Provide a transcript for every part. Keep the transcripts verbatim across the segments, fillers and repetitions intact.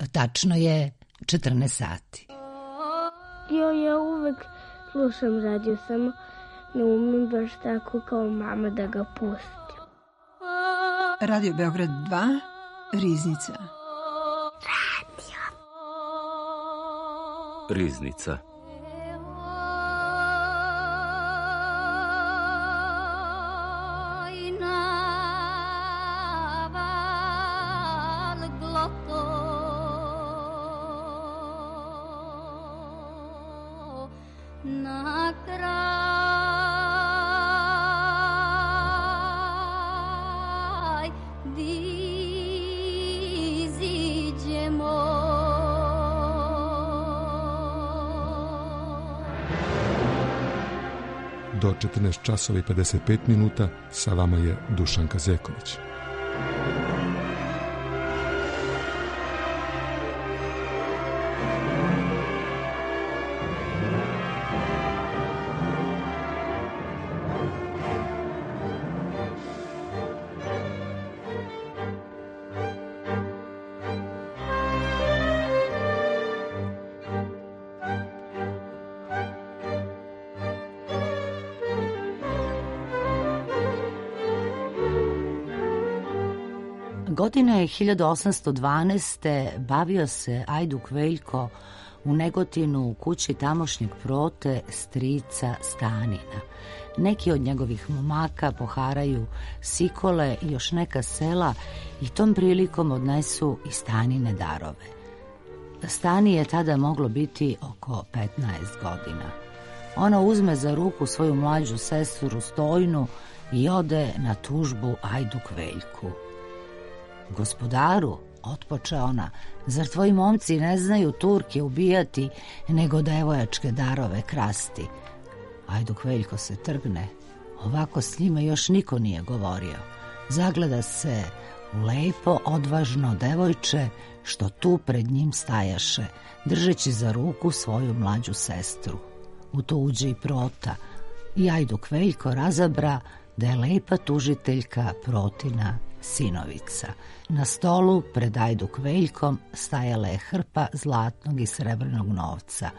tačno je četrnaest sati. Jo, ja uvek slušam radio, samo ne umem baš tako kao mama da ga pustim. Radio Beograd dva, Riznica. Radio. Riznica. Do četrnaest časova i pedeset pet minuta sa vama je Dušan Kazeković. Godine hiljadu osamsto dvanaeste. bavio se Ajduk Veljko u Negotinu u kući tamošnjeg prote strica Stanina. Neki od njegovih momaka poharaju Sikole i još neka sela i tom prilikom odnesu i Stanine darove. Stani je tada moglo biti oko petnaest godina. Ona uzme za ruku svoju mlađu sestru Stojnu i ode na tužbu Ajduk Veljku. Gospodaru, otpoče ona, zar tvoji momci ne znaju Turke ubijati, nego devojačke darove krasti? Ajduk Veljko se trgne, ovako s njima još niko nije govorio. Zagleda se u lepo, odvažno devojče, što tu pred njim stajaše, držeći za ruku svoju mlađu sestru. U to uđe i prota i Ajduk Veljko razabra da je lepa tužiteljka protina sinovica. Na stolu pred Ajduk Veljkom stajala je hrpa zlatnog i srebrnog novca.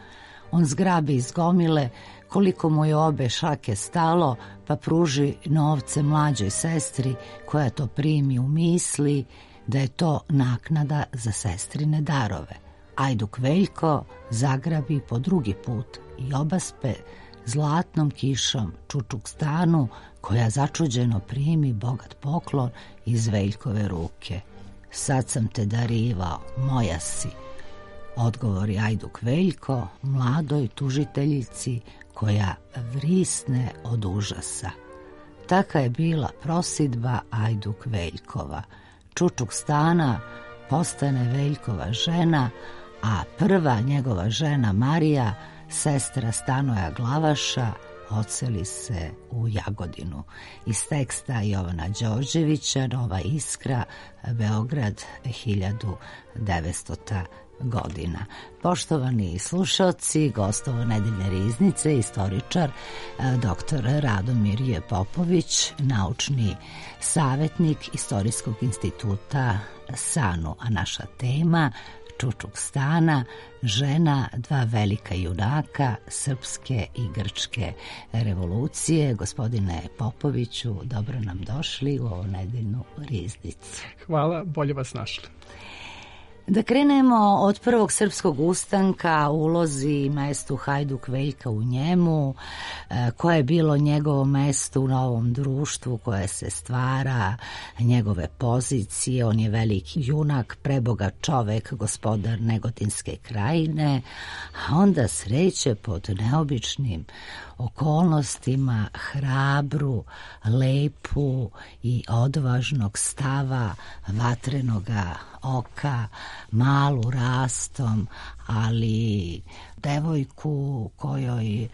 On zgrabi iz gomile koliko mu je obe šake stalo, pa pruži novce mlađoj sestri, koja to primi u misli da je to naknada za sestrine darove. Ajduk Veljko zagrabi po drugi put i obaspe zlatnom kišom Čučuk Stanu, koja začuđeno primi bogat poklon iz Veljkove ruke. Sad sam te darivao, moja si, odgovori Ajduk Veljko mladoj tužiteljici, koja vrisne od užasa. Taka je bila prosidba Ajduk Veljkova. Čučuk Stana postane Veljkova žena, a prva njegova žena Marija, sestra Stanoja Glavaša, odseli se u Jagodinu. Iz teksta Jovana Đorđevića, Nova Iskra, Beograd, hiljadu devetstota godina. Poštovani slušalci, gostovo nedeljne riznice, istoričar doktor Radomir J. Popović, naučni savjetnik Istorijskog instituta SANU, a naša tema Čučuk Stana, žena dva velika junaka srpske i grčke revolucije. Gospodine Popoviću, dobro nam došli u ovu nedeljnu riznicu. Hvala, bolje vas našli. Da krenemo od prvog srpskog ustanka, ulozi i mestu Hajduk Veljka u njemu, koje je bilo njegovo mesto u novom društvu koje se stvara, njegove pozicije. On je veliki junak, prebogat čovek, gospodar Negotinske krajine, a onda sreće pod neobičnim okolnostima hrabru, lepu i odvažnog stava, vatrenoga oka, malu rastom, ali devojku kojoj e,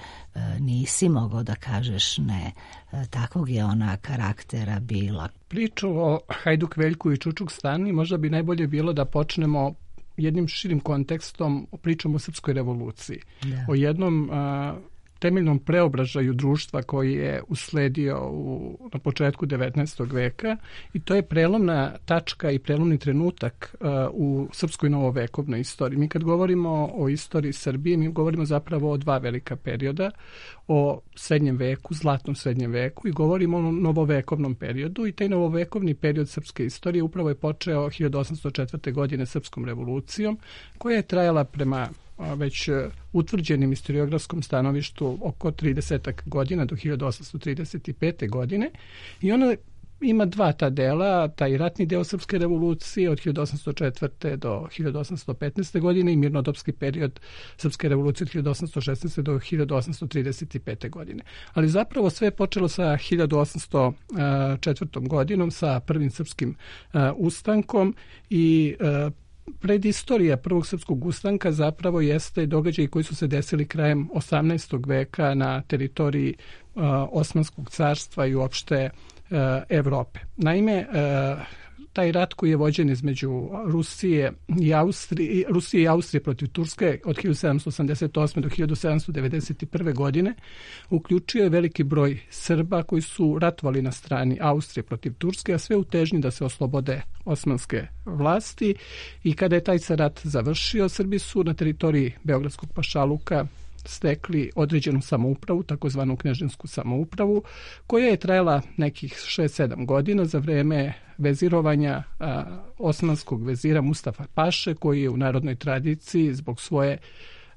nisi mogao da kažeš ne. E, takvog je ona karaktera bila. Priču o Hajduk Veljku i Čučuk Stani možda bi najbolje bilo da počnemo jednim širim kontekstom, pričom o Srpskoj revoluciji. Da. O jednom a, temeljnom preobražaju društva koji je usledio u, na početku devetnaestog veka i to je prelomna tačka i prelomni trenutak uh, u srpskoj novovekovnoj istoriji. Mi kad govorimo o istoriji Srbije, mi govorimo zapravo o dva velika perioda, o srednjem veku, zlatnom srednjem veku i govorimo o novovekovnom periodu i taj novovekovni period srpske istorije upravo je počeo hiljadu osamsto četvrte. godine srpskom revolucijom koja je trajala prema već utvrđenim historiografskom stanovištu oko trideset godina do hiljadu osamsto trideset pete. godine i ona ima dva ta dela, taj ratni deo srpske revolucije od hiljadu osamsto četvrte. do hiljadu osamsto petnaeste. godine i mirnodopski period srpske revolucije od hiljadu osamsto šesnaeste. do hiljadu osamsto trideset pete. godine. Ali zapravo sve je počelo sa hiljadu osamsto četvrtom. godinom, sa prvim srpskim ustankom i predistorija prvog srpskog ustanka zapravo jeste događaji koji su se desili krajem osamnaestog veka na teritoriji uh, Osmanskog carstva i uopšte uh, Evrope. Naime, uh, taj rat koji je vođen između Rusije i Austrije, Rusije i Austrije protiv Turske od hiljadu sedamsto osamdeset osme. do hiljadu sedamsto devedeset prve. godine uključio je veliki broj Srba koji su ratovali na strani Austrije protiv Turske, a sve u težnji da se oslobode osmanske vlasti i kada je taj rat završio, Srbi su na teritoriji Beogradskog pašaluka stekli određenu samoupravu, takozvanu kneževsku samoupravu, koja je trajala nekih šest sedam godina za vreme vezirovanja a, osmanskog vezira Mustafa Paše, koji je u narodnoj tradiciji zbog svoje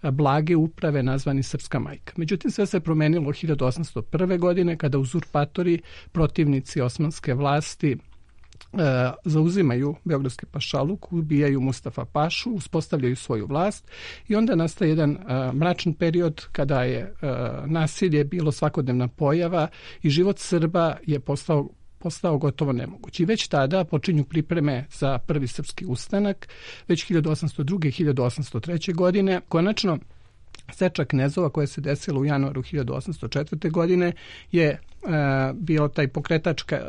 a, blage uprave nazvani Srpska majka. Međutim, sve se promenilo hiljadu osamsto prve. godine kada uzurpatori, protivnici osmanske vlasti, E, zauzimaju Beogradski pašaluk, ubijaju Mustafa Pašu, uspostavljaju svoju vlast i onda nastaje jedan e, mračan period kada je e, nasilje bilo svakodnevna pojava i život Srba je postao postao gotovo nemoguć. I već tada počinju pripreme za prvi srpski ustanak, već hiljadu osamsto druge. i hiljadu osamsto treće. godine. Konačno, seča knezova koja se desila u januaru hiljadu osamsto četvrte. godine je e, bio taj pokretačka,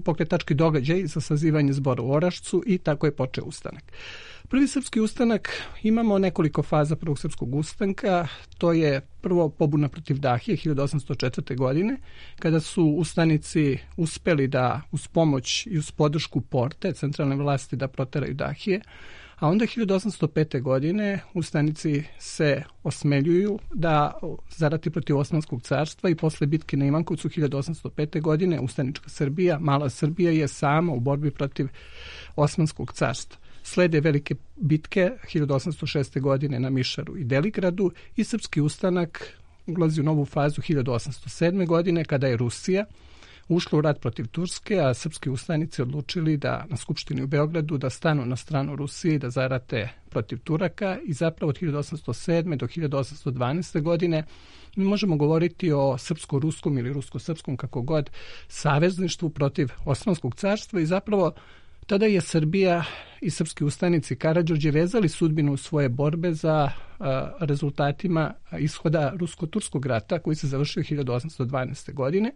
pokretački događaj za sazivanje zbora u Orašcu i tako je počeo ustanak. Prvi srpski ustanak, imamo nekoliko faza prvog srpskog ustanka. To je prvo pobuna protiv Dahije hiljadu osamsto četvrte. godine, kada su ustanici uspeli da uz pomoć i uz podršku Porte, centralne vlasti, da proteraju Dahije. A onda hiljadu osamsto pete. godine ustanici se osmeljuju da zarati protiv Osmanskog carstva i posle bitke na Ivankovcu hiljadu osamsto pete. godine ustanička Srbija, mala Srbija je sama u borbi protiv Osmanskog carstva. Slede velike bitke hiljadu osamsto šeste. godine na Mišaru i Deligradu i srpski ustanak ulazi u novu fazu hiljadu osamsto sedme. godine kada je Rusija ušla u rat protiv Turske, a srpski ustanici odlučili da na Skupštini u Beogradu da stanu na stranu Rusije i da zarate protiv Turaka i zapravo od hiljadu osamsto sedme. do hiljadu osamsto dvanaeste. godine mi možemo govoriti o srpsko-ruskom ili rusko-srpskom, kako god, savezništvu protiv Osmanskog carstva i zapravo tada je Srbija i srpski ustanici Karađorđe vezali sudbinu svoje borbe za a, rezultatima ishoda rusko-turskog rata koji se završio hiljadu osamsto dvanaeste. godine,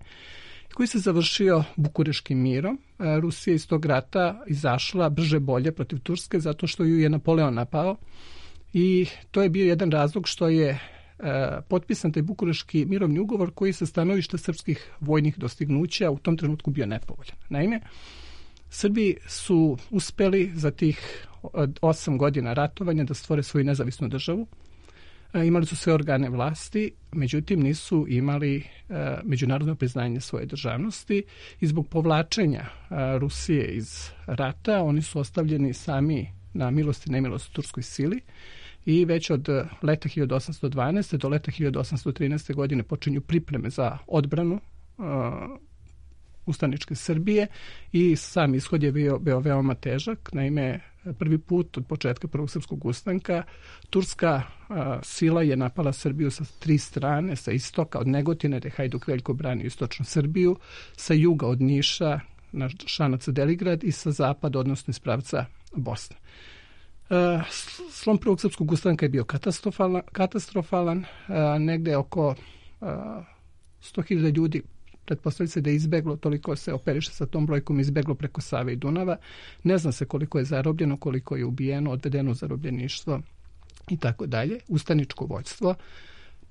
koji se završio Bukureškim mirom. Rusija iz tog rata izašla brže bolje protiv Turske zato što ju je Napoleon napao i to je bio jedan razlog što je e, potpisan taj Bukureški mirovni ugovor koji sa stanovišta srpskih vojnih dostignuća u tom trenutku bio nepovoljan. Naime, Srbi su uspeli za tih osam godina ratovanja da stvore svoju nezavisnu državu. Imali su sve organe vlasti, međutim nisu imali e, međunarodno priznanje svoje državnosti i zbog povlačenja e, Rusije iz rata oni su ostavljeni sami na milost i nemilost turskoj sili i već od leta hiljadu osamsto dvanaeste. do leta hiljadu osamsto trinaeste. godine počinju pripreme za odbranu e, ustaničke Srbije i sam ishod je bio, bio veoma težak. Naime, prvi put od početka prvog srpskog ustanka turska a, sila je napala Srbiju sa tri strane, sa istoka od Negotine, gde Hajduk Veljko branio istočnu Srbiju, sa juga od Niša na Šanac Deligrad i sa zapada, odnosno iz pravca Bosne. A, slom prvog srpskog ustanka je bio katastrofalan, katastrofalan a, negde oko a, sto hiljada ljudi pretpostavlja se da je izbeglo, toliko se operiše sa tom brojkom, izbeglo preko Save i Dunava. Ne zna se koliko je zarobljeno, koliko je ubijeno, odvedeno u zarobljeništvo i tako dalje. Ustaničko vođstvo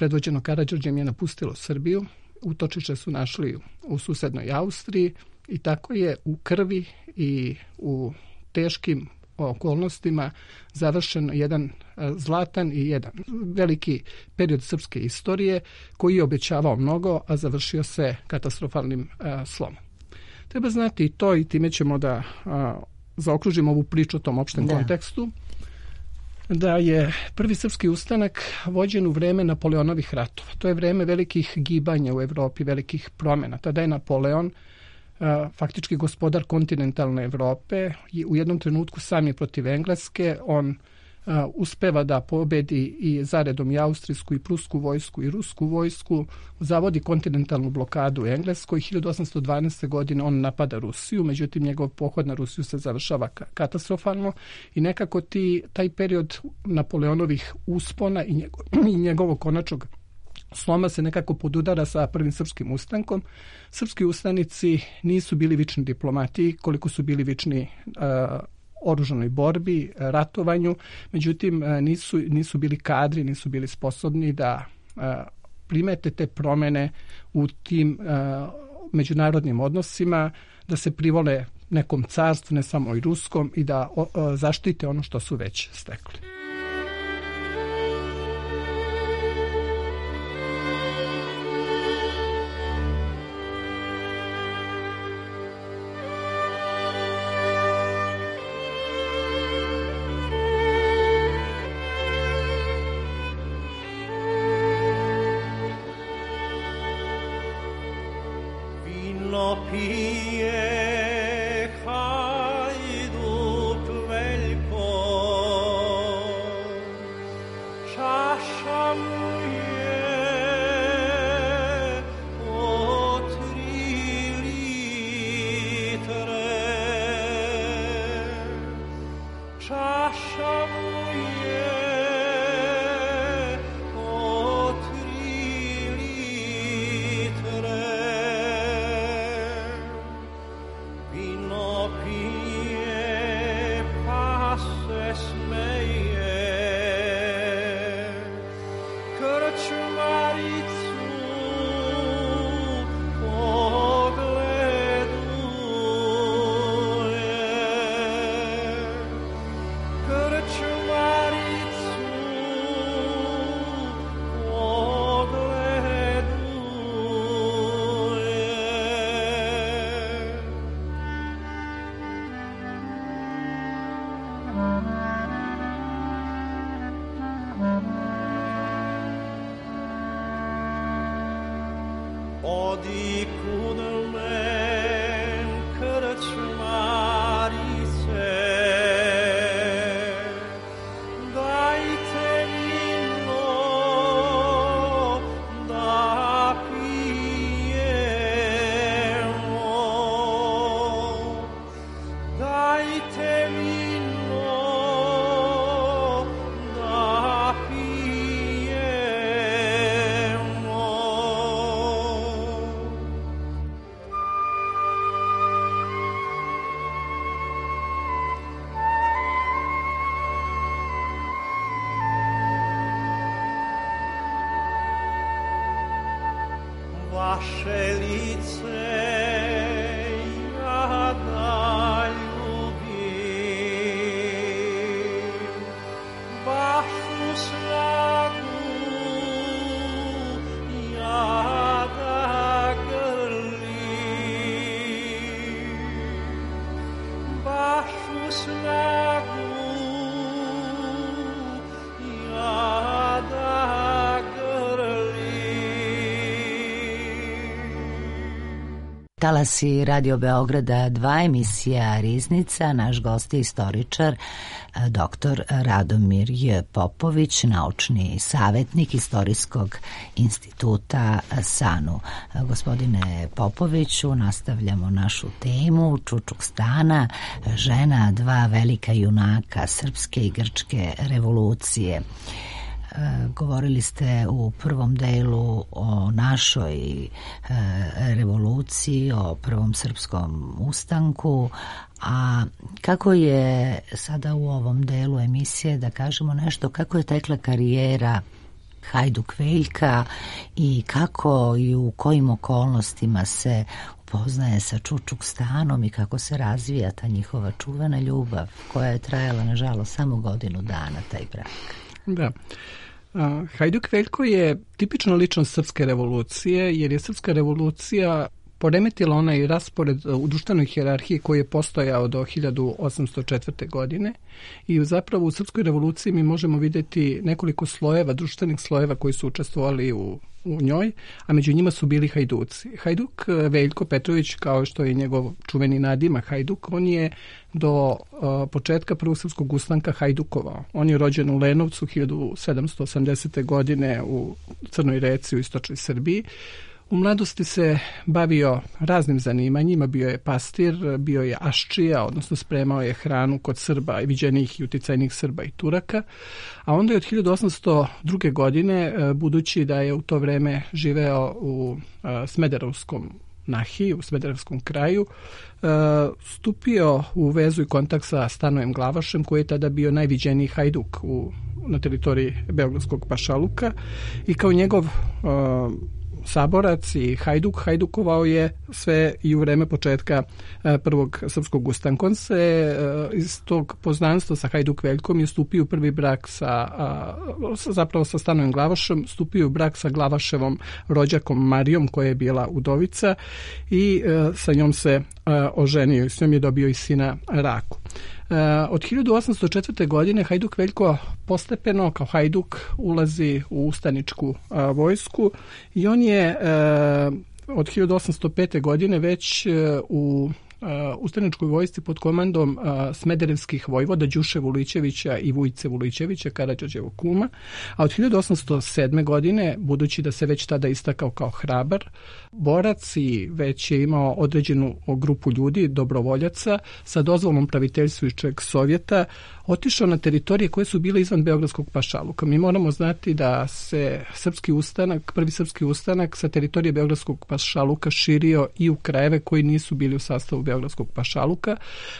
predvođeno Karađorđem, je napustilo Srbiju. Utočište su našli u susednoj Austriji i tako je u krvi i u teškim okolnostima završen jedan zlatan i jedan veliki period srpske istorije koji je obećavao mnogo, a završio se katastrofalnim a, slomom. Treba znati i to, i time ćemo da a, zaokružimo ovu priču o tom opštem da. kontekstu, da je prvi srpski ustanak vođen u vreme Napoleonovih ratova. To je vreme velikih gibanja u Evropi, velikih promjena. Tada je Napoleon faktički gospodar kontinentalne Evrope i u jednom trenutku sam je protiv Engleske. On a, uspeva da pobedi i zaredom i austrijsku i prusku vojsku i rusku vojsku, zavodi kontinentalnu blokadu u Engleskoj. hiljadu osamsto dvanaeste. godine on napada Rusiju, međutim njegov pohod na Rusiju se završava katastrofalno i nekako ti, taj period Napoleonovih uspona i, njegov, i njegovog konačnog sloma se nekako podudara sa prvim srpskim ustankom. Srpski ustanici nisu bili vični diplomati koliko su bili vični uh, oružanoj borbi, ratovanju, međutim uh, nisu, nisu bili kadri, nisu bili sposobni da uh, primete te promjene u tim uh, međunarodnim odnosima, da se privole nekom carstvu, ne samo i ruskom, i da uh, zaštite ono što su već stekli. Vaše lice ja da ljubim, vašu snagu ja da grlim, vašu snagu ja da grlim. Talasi Radio Beograda dva, emisija Riznica. Naš gost je istoričar doktor Radomir J. Popović, naučni savjetnik Istorijskog instituta SANU. Gospodine Popoviću, nastavljamo našu temu Čučukstana, žena dva velika junaka srpske i grčke revolucije. Govorili ste u prvom delu o našoj revoluciji, o prvom srpskom ustanku, a kako je sada u ovom delu emisije, da kažemo nešto, kako je tekla karijera Hajduk Veljka i kako i u kojim okolnostima se upoznaje sa Čučukstanom i kako se razvija ta njihova čuvena ljubav koja je trajala nažalost samo godinu dana, taj brak. Da. Uh, Hajduk Veljko je tipična ličnost srpske revolucije, jer je srpska revolucija poremetila onaj raspored u društvenoj hijerarhiji koji je postojao do hiljadu osamsto četvrte. godine i zapravo u srpskoj revoluciji mi možemo vidjeti nekoliko slojeva, društvenih slojeva koji su učestvovali u, u njoj, a među njima su bili hajduci. Hajduk Veljko Petrović, kao što je njegov čuveni nadimak Hajduk, on je do uh, početka prvog srpskog ustanka hajdukovao. On je rođen u Lenovcu hiljadu sedamsto osamdesete. godine u Crnoj Reci u istočnoj Srbiji. U mladosti se bavio raznim zanimanjima, bio je pastir, bio je aščija, odnosno spremao je hranu kod Srba, viđenih i uticajnih Srba i Turaka, a onda je od hiljadu osamsto druge. godine, budući da je u to vreme živeo u Smederevskom Nahiji, u Smederevskom kraju, stupio u vezu i kontakt sa Stanojem Glavašem, koji je tada bio najviđeniji hajduk u, na teritoriji Beogradskog pašaluka i kao njegov saborac i hajduk, hajdukovao je sve i u vreme početka prvog srpskog ustanka. On se iz tog poznanstva sa Hajduk Veljkom je stupio u prvi brak sa, zapravo sa Stanojem Glavašem, stupio u brak sa Glavaševom rođakom Marijom, koja je bila udovica, i sa njom se oženio i s njom je dobio i sina Raku. Od hiljadu osamsto četvrte. godine Hajduk Veljko postepeno kao hajduk ulazi u ustaničku a, vojsku i on je a, od hiljadu osamsto pete. godine već a, u a, ustaničkoj vojsci pod komandom a, smederevskih vojvoda Đuše Vulićevića i Vujce Vulićevića, Karađorđevog kuma, a od hiljadu osamsto sedme. godine, budući da se već tada istakao kao hrabar borac i već je imao određenu grupu ljudi, dobrovoljaca, sa dozvolom praviteljstvujućeg Sovjeta, otišao na teritorije koje su bile izvan Beogradskog pašaluka. Mi moramo znati da se srpski ustanak, prvi srpski ustanak sa teritorije Beogradskog pašaluka širio i u krajeve koji nisu bili u sastavu Beogradskog pašaluka,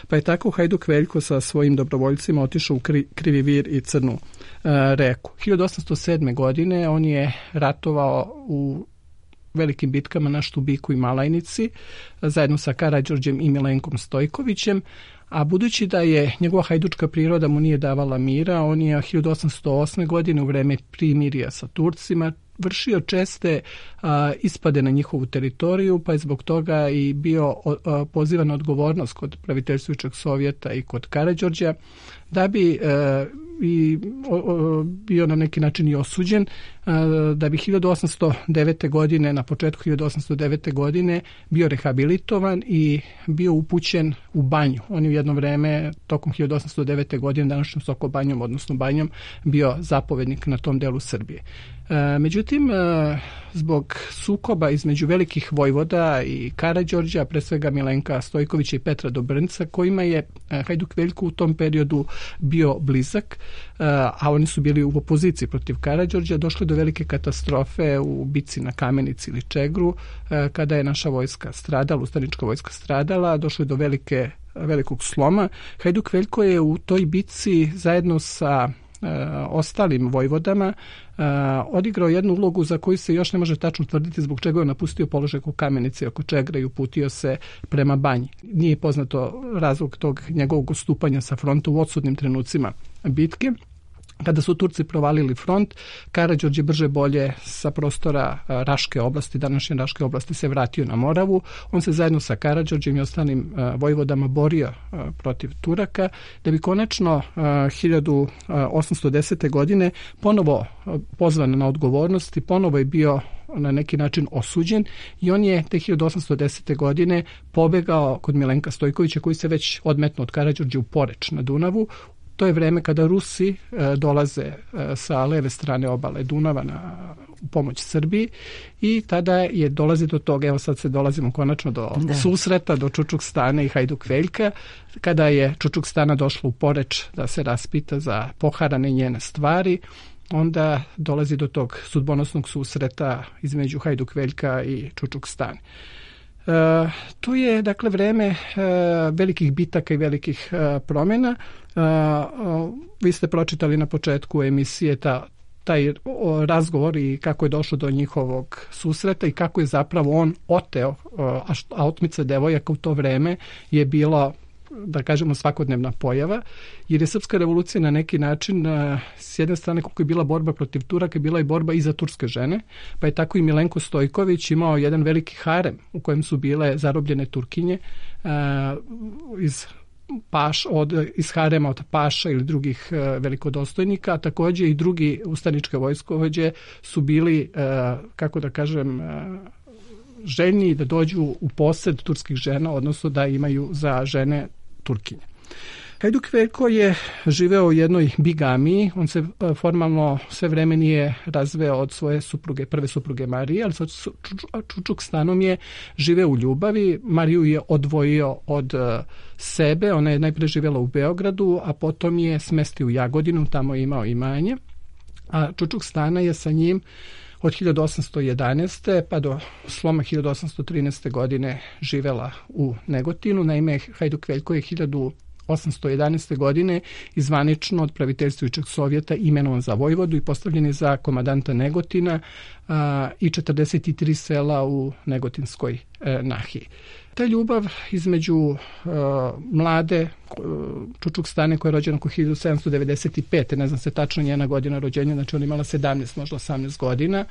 pa je tako Hajduk Veljko sa svojim dobrovoljcima otišao u Kri, Krivi Vir i Crnu uh, reku. hiljadu osamsto sedme. godine on je ratovao u velikim bitkama na Štubiku i Malajnici zajedno sa Karađorđem i Milenkom Stojkovićem, a budući da je njegova hajdučka priroda mu nije davala mira, on je hiljadu osamsto osme. godine u vreme primirja sa Turcima vršio česte a, ispade na njihovu teritoriju, pa je zbog toga i bio a, pozivan na odgovornost kod praviteljstvujućeg Sovjeta i kod Karađorđa, da bi a, i o, o, bio na neki način i osuđen, a, da bi hiljadu osamsto devete. godine, na početku hiljadu osamsto devete. godine bio rehabilitovan i bio upućen u banju. On je u jedno vreme, tokom hiljadu osamsto devete. godine, današnjom Sokobanjom, odnosno banjom, bio zapovednik na tom delu Srbije. E, međutim, e, zbog sukoba između velikih vojvoda i Karađorđa, pre svega Milenka Stojkovića i Petra Dobrnca, kojima je e, Hajduk Veljko u tom periodu bio blizak, e, a oni su bili u opoziciji protiv Karađorđa, došlo do velike katastrofe u bici na Kamenici ili Čegru, e, kada je naša vojska stradala, ustanička vojska stradala, došlo je do velike, velikog sloma. Hajduk Veljko je u toj bici zajedno sa ostalim vojvodama odigrao jednu ulogu za koju se još ne može tačno tvrditi zbog čega je napustio položaj oko Kamenice, oko Čegra i uputio se prema Banji. Nije poznato razlog tog njegovog ustupanja sa fronta u odsudnim trenucima bitke. Kada su Turci provalili front, Karađorđe brže bolje sa prostora Raške oblasti, današnje Raške oblasti, se vratio na Moravu. On se zajedno sa Karađorđem i ostalim vojvodama borio protiv Turaka, da bi konačno hiljadu osamsto desete. godine ponovo pozvan na odgovornost i ponovo je bio na neki način osuđen i on je te hiljadu osamsto desete. godine pobegao kod Milenka Stojkovića, koji se već odmetno od Karađorđa u Poreč na Dunavu. To je vreme kada Rusi e, dolaze e, sa leve strane obale Dunava na u pomoć Srbiji i tada je dolazi do toga, evo sad se dolazimo konačno do da. susreta, do Čučukstana i Hajduk Veljka, kada je Čučukstana došla u Poreč da se raspita za poharane njene stvari, onda dolazi do tog sudbonosnog susreta između Hajduk Veljka i Čučukstane. E, tu je dakle vreme e, velikih bitaka i velikih e, promjena. E, vi ste pročitali na početku emisije ta taj o, razgovor i kako je došlo do njihovog susreta i kako je zapravo on oteo, a, a otmica devojaka u to vreme je bila, da kažemo, svakodnevna pojava, jer je srpska revolucija na neki način, s jedne strane koliko je bila borba protiv Turaka, bila i borba i za turske žene, pa je tako i Milenko Stojković imao jedan veliki harem u kojem su bile zarobljene Turkinje iz paš, od, iz harema od paša ili drugih e, velikodostojnika, a također i drugi ustaničke vojskovođe su bili, e, kako da kažem, e, željni da dođu u posed turskih žena, odnosno da imaju za žene Turkinje. Hajduk Veljko je živeo u jednoj bigamiji, on se formalno sve vreme nije razveo od svoje supruge, prve supruge Marije, ali sa Čučuk Stanom je živeo u ljubavi. Mariju je odvojio od sebe, ona je najprije živjela u Beogradu, a potom je smestio u Jagodinu, tamo je imao imanje, a Čučuk Stana je sa njim od hiljadu osamsto jedanaeste pa do sloma hiljadu osamsto trinaeste godine živela u Negotinu. Naime, Hajduk Veljko je hiljadu osamsto jedanaeste godine izvanično od praviteljstvujućeg Sovjeta imenovan za vojvodu i postavljen je za komadanta Negotina a, i četrdeset tri sela u Negotinskoj e, nahiji. Ta ljubav između e, mlade e, Čučuk Stane koja je rođena oko hiljadu sedamsto devedeset pete ne znam se tačno njena godina rođenja, znači ona imala sedamnaest, možda osamnaest godina,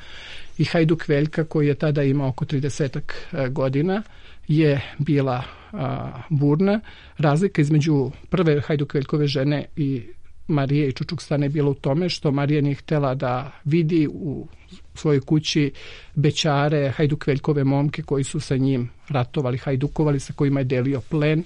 i Hajduk Veljka koji je tada imao oko trideset e, godina, je bila a, burna. Razlika između prve Hajduk Veljkove žene i Marije i Čučuk Stane je bila u tome što Marija nije htjela da vidi u svojoj kući bećare Hajduk Veljkove momke koji su sa njim ratovali, hajdukovali, sa kojima je delio plen,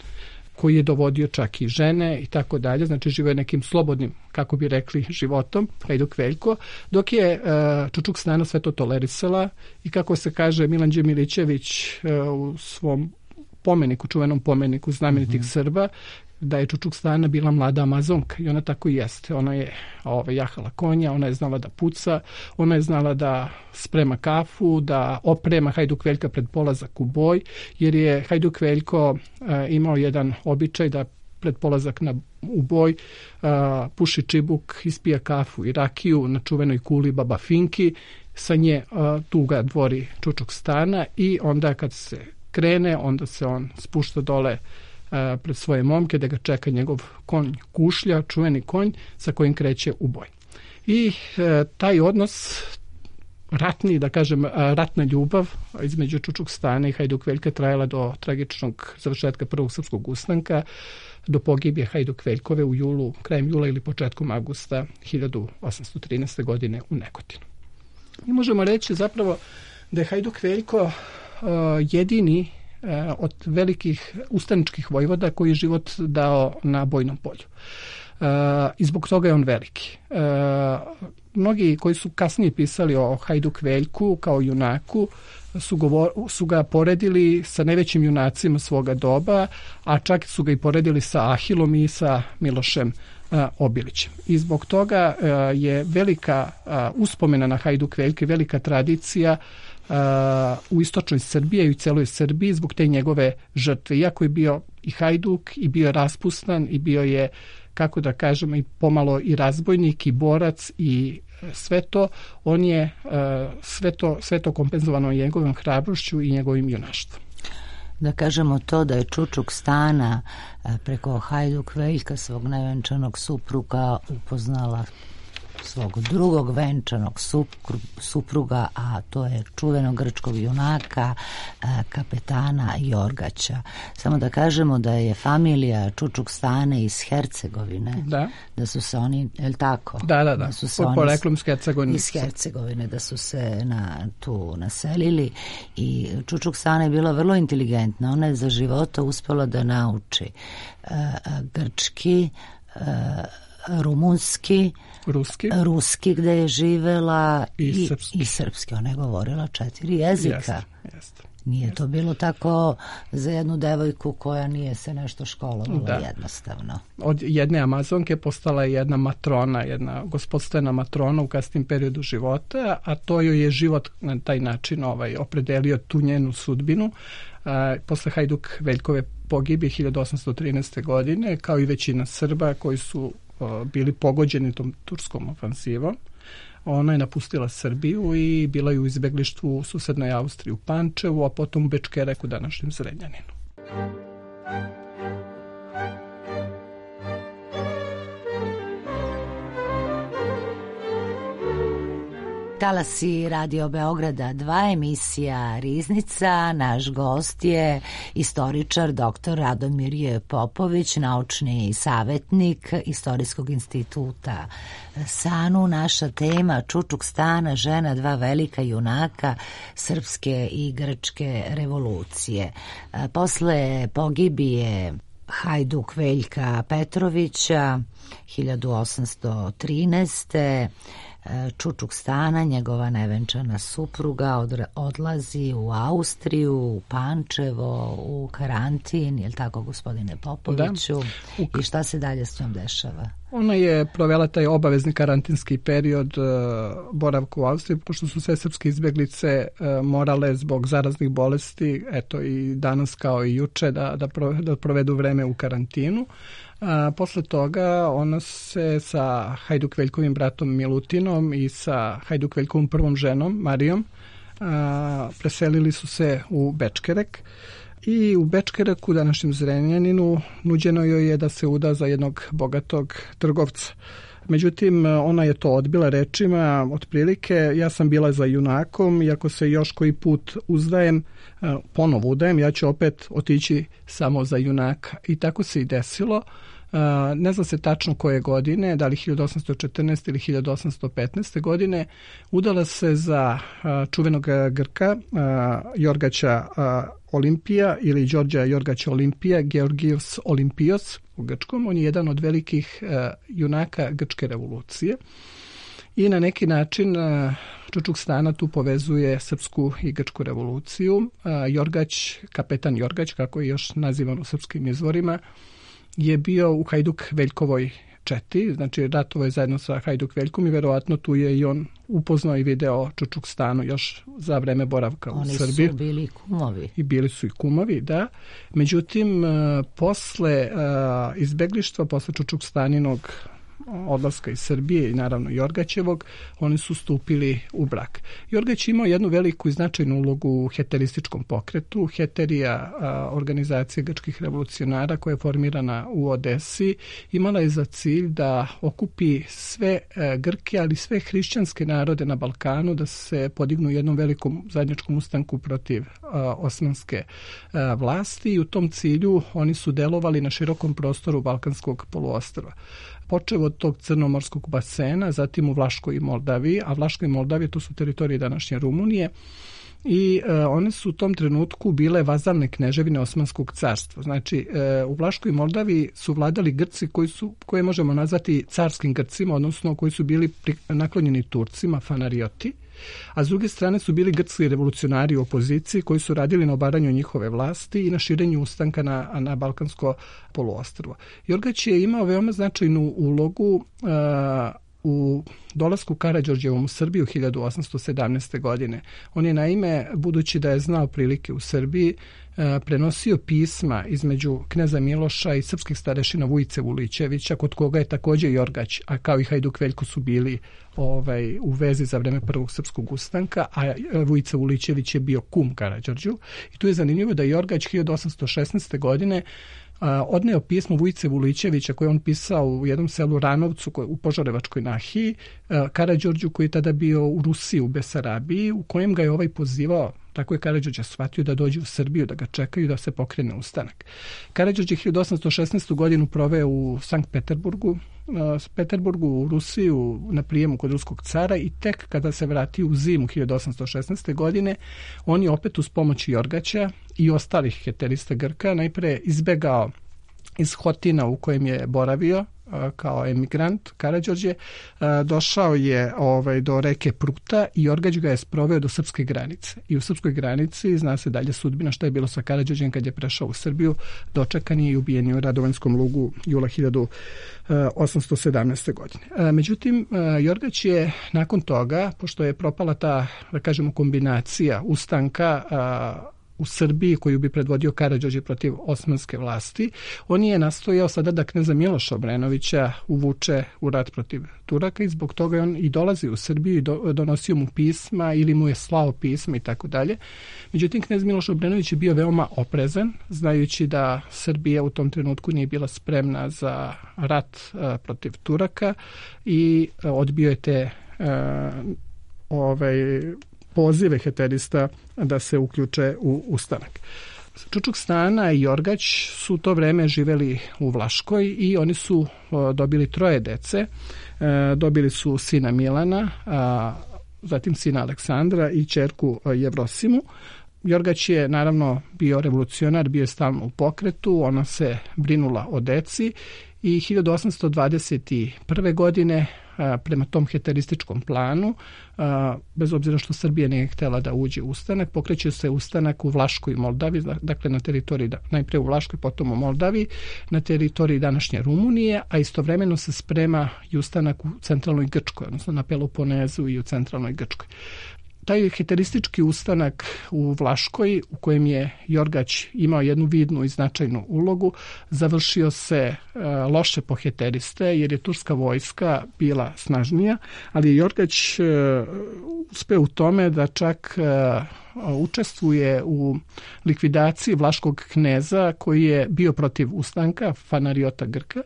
koji je dovodio čak i žene i tako dalje, znači živio je nekim slobodnim, kako bi rekli, životom, Hajduk Veljko, dok je uh, Čučuk Stana sve to tolerisala i kako se kaže Milan Đemilićević uh, u svom pomeniku, čuvenom pomeniku znamenitih mm-hmm. Srba, da je Čučuk Stana bila mlada Amazonka i ona tako i jeste. Ona je ove, jahala konja, ona je znala da puca, ona je znala da sprema kafu, da oprema Hajduk Veljka pred polazak u boj, jer je Hajduk Veljko e, imao jedan običaj da pred polazak na, u boj e, puši čibuk, ispija kafu i rakiju na čuvenoj kuli Baba Finki, sa nje e, tu ga dvori Čučuk Stana i onda kad se krene, onda se on spušta dole pred svoje momke da ga čeka njegov konj Kušlja, čuveni konj sa kojim kreće u boj. I e, taj odnos ratni, da kažem, ratna ljubav između Čučuk Stane i Hajduk Veljka trajala do tragičnog završetka prvog srpskog ustanka, do pogibije Hajduk Veljkove u julu, krajem jula ili početkom avgusta hiljadu osamsto trinaeste godine u Negotinu. Mi možemo reći zapravo da je Hajduk Veljko uh, jedini od velikih ustaničkih vojvoda koji je život dao na bojnom polju. E, I zbog toga je on veliki. E, mnogi koji su kasnije pisali o Hajduk Veljku kao junaku su, govor, su ga poredili sa najvećim junacima svoga doba, a čak su ga i poredili sa Ahilom i sa Milošem a, Obilićem. I zbog toga a, je velika a, uspomena na Hajduk Veljke, velika tradicija Uh, u istočnoj Srbiji i u celoj Srbiji zbog te njegove žrtve. Iako je bio i hajduk i bio raspustan i bio je, kako da kažemo, i pomalo i razbojnik i borac i sve to, on je uh, sve to, sve to kompenzovano njegovom hrabrošću i njegovim junaštvom. Da kažemo to da je Čučuk Stana preko Hajduk Veljka, svog nevenčanog supruga, upoznala svog drugog venčanog supruga, a to je čuvenog grčkog junaka, kapetana Jorgaća. Samo da kažemo da je familija Čučuk Stane iz Hercegovine, da, da su se oni, je li tako? Da, da, da, da su se po, oni poreklom iz Hercegovine. Iz Hercegovine, da su se na, tu naselili i Čučuk Stana je bila vrlo inteligentna. Ona je za života uspela da nauči uh, grčki, uh, rumunski, ruski, ruski gde je živela i, i, srpski. i srpski. Ona je govorila četiri jezika. Jeste, jeste. Nije jeste. To bilo tako za jednu devojku koja nije se nešto školovala, da. Jednostavno. Od jedne Amazonke postala je jedna matrona, jedna gospodstvena matrona u kasnim periodu života, a to joj je život na taj način ovaj, opredelio tu njenu sudbinu. A, posle Hajduk Veljkove pogibije hiljadu osamsto trinaeste godine, kao i većina Srba koji su bili pogođeni tom turskom ofansivom. Ona je napustila Srbiju i bila je u izbeglištvu u susednoj Austriji u Pančevu, a potom u Bečkereku, današnjem Zrenjaninu. Talasi Radio Beograda dva, emisija Riznica. Naš gost je istoričar doktor Radomir J. Popović, naučni savjetnik Istorijskog instituta SANU. Naša tema Čučuk Stana, žena dva velika junaka srpske i grčke revolucije. Posle pogibije Hajduk Veljka Petrovića hiljadu osamsto trinaeste. Čučuk Stana, njegova nevenčana supruga, odlazi u Austriju, u Pančevo, u karantin, je li tako, gospodine Popoviću? Da. I šta se dalje s njom dešava? Ona je provela taj obavezni karantinski period uh, boravka u Austriji, pošto su sve srpske izbjeglice uh, morale zbog zaraznih bolesti, eto i danas kao i juče, da, da, pro, da provedu vreme u karantinu. A, posle toga ona se sa Hajduk Veljkovim bratom Milutinom i sa Hajduk Veljkovom prvom ženom Marijom a, preselili su se u Bečkerek. I u Bečkereku, današnjem Zrenjaninu, nuđeno joj je da se uda za jednog bogatog trgovca. Međutim, ona je to odbila rečima, otprilike, ja sam bila za junakom, i ako se još koji put uzdajem, ponovo udajem, ja ću opet otići samo za junaka. I tako se i desilo. Ne zna se tačno koje godine, da li hiljadu osamsto četrnaeste ili hiljadu osamsto petnaeste godine, udala se za čuvenog Grka, Jorgaća Olimpija ili Đorđa Jorgaća Olimpija, Georgios Olimpios u grčkom. On je jedan od velikih junaka grčke revolucije. I na neki način Čučuk Stana tu povezuje srpsku i grčku revoluciju. Jorgać, kapetan Jorgać, kako je još nazivan u srpskim izvorima, je bio u Hajduk Veljkovoj četi, znači ratovo je zajedno sa Hajduk Veljkom i verovatno tu je i on upoznao i video Čučuk Stanu još za vreme boravka u Oni Srbiji. Oni su bili kumovi. I bili su i kumovi, da. Međutim, posle izbeglištva, posle Čučuk Staninog odlaska iz Srbije i naravno Jorgaćevog, oni su stupili u brak. Jorgać imao jednu veliku i značajnu ulogu u heterističkom pokretu. Heterija, organizacija grčkih revolucionara koja je formirana u Odesi, imala je za cilj da okupi sve Grke, ali sve hrišćanske narode na Balkanu, da se podignu jednom velikom zajedničkom ustanku protiv osmanske vlasti, i u tom cilju oni su delovali na širokom prostoru Balkanskog poluostrva. Počeo od tog crnomorskog basena, zatim u Vlaškoj i Moldaviji, a Vlaškoj i Moldaviji to su teritorije današnje Rumunije, i e, one su u tom trenutku bile vazalne kneževine Osmanskog carstva. Znači, e, u Vlaškoj i Moldaviji su vladali Grci koji su, koje možemo nazvati carskim Grcima, odnosno koji su bili pri, naklonjeni Turcima, fanarioti, a s druge strane su bili grčki revolucionari u opoziciji koji su radili na obaranju njihove vlasti i na širenju ustanka na, na Balkansko poluostrvo. Jorgać je imao veoma značajnu ulogu uh, u dolasku Karađorđevom u Srbiju u hiljadu osamsto sedamnaeste. godine. On je naime, budući da je znao prilike u Srbiji, prenosio pisma između kneza Miloša i srpskih starešina Vujice Vulićevića, kod koga je također Jorgać, a kao i Hajduk Veljko su bili ovaj, u vezi za vreme prvog srpskog ustanka, a Vujica Vulićević je bio kum Karađorđu. I tu je zanimljivo da Jorgać hiljadu osamsto šesnaeste. godine odneo pismo Vujice Vulićevića koje on pisao u jednom selu Ranovcu u Požarevačkoj nahiji Karađorđu, koji je tada bio u Rusiji, u Besarabiji, u kojem ga je ovaj pozivao, tako je Karađorđe shvatio, da dođe u Srbiju, da ga čekaju, da se pokrene ustanak. Karađorđe hiljadu osamsto šesnaestu. godinu proveo u Sankt Peterburgu, Peterburgu u Rusiju na prijemu kod ruskog cara, i tek kada se vratio u zimu hiljadu osamsto šesnaeste. godine, on je opet uz pomoć Jorgaća i ostalih heterista Grka najpre izbegao iz Hotina u kojem je boravio kao emigrant Karađorđe, došao je ovaj, do reke Pruta i Jorgać ga je sproveo do srpske granice. I u srpskoj granici zna se dalje sudbina šta je bilo sa Karađorđem kad je prešao u Srbiju, dočekan je i ubijen je u Radovanjskom lugu jula hiljadu osamsto sedamnaeste. godine. Međutim, Jorgać je nakon toga, pošto je propala ta, da kažemo, kombinacija ustanka u Srbiji koju bi predvodio Karađorđe protiv osmanske vlasti. On je nastojao sada da kneza Miloša Obrenovića uvuče u rat protiv Turaka i zbog toga on i dolazi u Srbiju i do, donosio mu pisma ili mu je slao pisma i tako dalje. Međutim, knez Miloš Obrenović je bio veoma oprezan, znajući da Srbija u tom trenutku nije bila spremna za rat a, protiv Turaka i a, odbio je te a, ovaj, pozive heterista da se uključe u ustanak. Čučuk Stana i Jorgać su u to vreme živeli u Vlaškoj i oni su o, dobili troje dece. E, dobili su sina Milana, a, zatim sina Aleksandra i ćerku Jevrosimu. Jorgać je naravno bio revolucionar, bio je stalno u pokretu, ona se brinula o deci i hiljadu osamsto dvadeset prve. godine a, prema tom heterističkom planu, a, bez obzira što Srbija nije htjela da uđe u ustanak, pokreće se ustanak u Vlaškoj i Moldavi, dakle na teritoriji, najprije u Vlaškoj, potom u Moldavi, na teritoriji današnje Rumunije, a istovremeno se sprema i ustanak u centralnoj Grčkoj, odnosno na Peloponezu i u centralnoj Grčkoj. Taj heteristički ustanak u Vlaškoj, u kojem je Jorgać imao jednu vidnu i značajnu ulogu, završio se e, loše po heteriste, jer je turska vojska bila snažnija, ali je Jorgać e, uspeo u tome da čak e, učestvuje u likvidaciji vlaškog kneza koji je bio protiv ustanka, Fanariota Grka, e,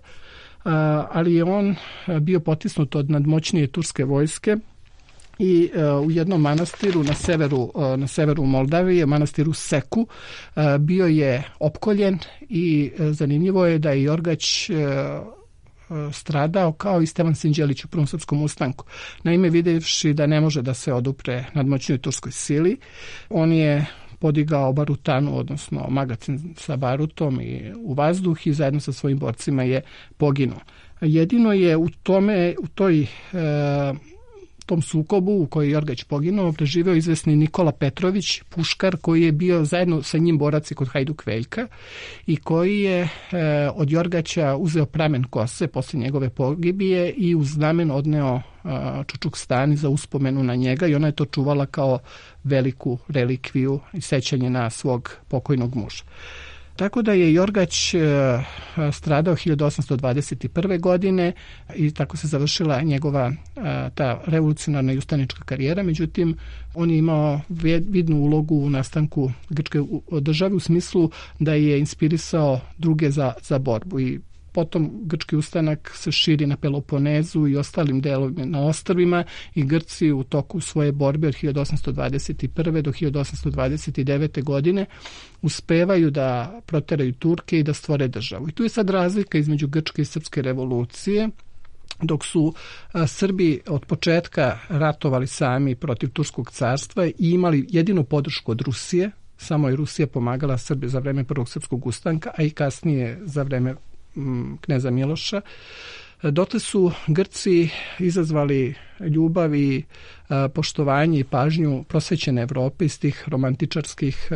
ali je on bio potisnut od nadmoćnije turske vojske i uh, u jednom manastiru na severu, uh, na severu Moldavije, manastiru Seku, uh, bio je opkoljen i uh, zanimljivo je da je Jorgać uh, uh, stradao kao i Stevan Sinđelić u Prvom srpskom ustanku. Naime, vidjevši da ne može da se odupre nadmoćnoj turskoj sili, on je podigao barutanu, odnosno magacin sa barutom i u vazduh i zajedno sa svojim borcima je poginuo. Jedino je u tome, u toj uh, tom sukobu u kojoj je Jorgać poginuo preživeo izvesni Nikola Petrović, puškar, koji je bio zajedno sa njim borac kod Hajduk Veljka i koji je e, od Jorgaća uzeo pramen kose posle njegove pogibije i u znamen odneo e, Čučuk Stani za uspomenu na njega i ona je to čuvala kao veliku relikviju i sećanje na svog pokojnog muža. Tako da je Jorgać stradao hiljadu osamsto dvadeset prve. godine i tako se završila njegova ta revolucionarna i ustanička karijera. Međutim, on je imao vidnu ulogu u nastanku grčke države u smislu da je inspirisao druge za, za borbu i potom grčki ustanak se širi na Peloponezu i ostalim delovima na ostrvima i Grci u toku svoje borbe od hiljadu osamsto dvadeset prve. do hiljadu osamsto dvadeset devete. godine uspevaju da proteraju Turke i da stvore državu. I tu je sad razlika između grčke i srpske revolucije. Dok su a, Srbi od početka ratovali sami protiv Turskog carstva i imali jedinu podršku od Rusije, samo je Rusija pomagala Srbi za vreme Prvog srpskog ustanka, a i kasnije za vreme kneza Miloša. Dotle su Grci izazvali ljubav i poštovanje i pažnju prosvećene Evrope iz tih romantičarskih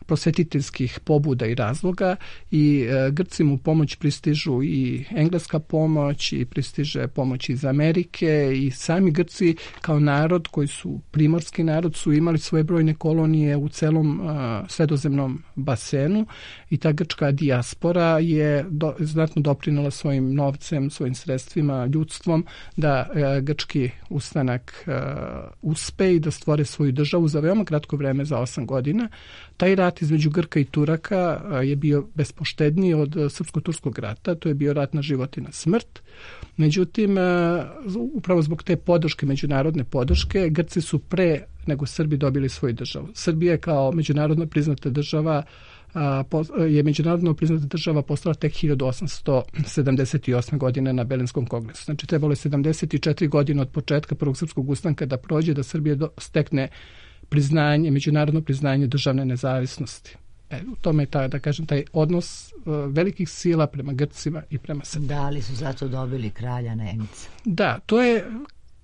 prosvetiteljskih pobuda i razloga i e, Grci mu pomoć pristižu i engleska pomoć i pristiže pomoć iz Amerike i sami Grci kao narod koji su primorski narod su imali svoje brojne kolonije u celom a, sredozemnom basenu i ta grčka dijaspora je do, znatno doprinela svojim novcem, svojim sredstvima, ljudstvom da a, grčki ustanak a, uspe i da stvore svoju državu za veoma kratko vreme, za osam godina. Taj rat između Grka i Turaka je bio bespoštedniji od srpsko-turskog rata, to je bio rat na život i na smrt. Međutim, upravo zbog te podrške, međunarodne podrške, Grci su pre nego Srbi dobili svoju državu. Srbija kao međunarodno priznata država je međunarodno priznata država postala tek hiljadu osamsto sedamdeset osme. godine na Berlinskom kongresu. Znači, trebalo je sedamdeset četiri godine od početka Prvog srpskog ustanka da prođe, da Srbija stekne priznanje, međunarodno priznanje državne nezavisnosti. E, u tome je ta, da kažem, taj odnos uh, velikih sila prema Grcima i prema Srbima. Da, ali su zato dobili kralja Nemica. Da, to je,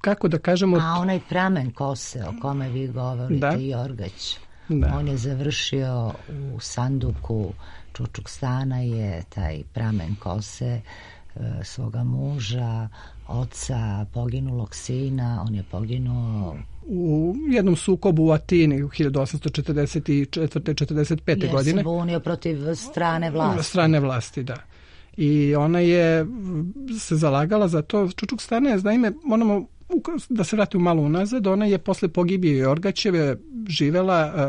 kako da kažemo... A onaj pramen kose o kome vi govorite, da. Jorgać, da. On je završio u sanduku Čučuk Stana, je taj pramen kose uh, svoga muža, oca, poginulog sina, on je poginuo u jednom sukobu u Atini u hiljadu osamsto četrdeset četvrte četrdeset pete godine. Jer se bunio protiv strane vlasti. Strane vlasti, da. I ona je se zalagala za to. Čučuk-Stana je, naime, moramo da se vrati malo unazad, ona je posle pogibije Jorgaćeve živela uh,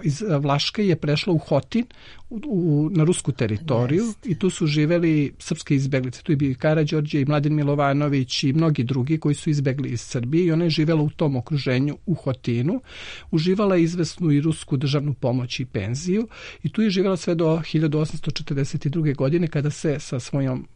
iz Vlaške, je prešla u Hotin, u, u, na rusku teritoriju. Jest. I tu su živeli srpske izbeglice. Tu je bio i Karađorđe i Mladen Milovanović i mnogi drugi koji su izbegli iz Srbije i ona je živela u tom okruženju u Hotinu. Uživala je izvesnu i rusku državnu pomoć i penziju i tu je živela sve do hiljadu osamsto četrdeset druge. godine kada se sa svojom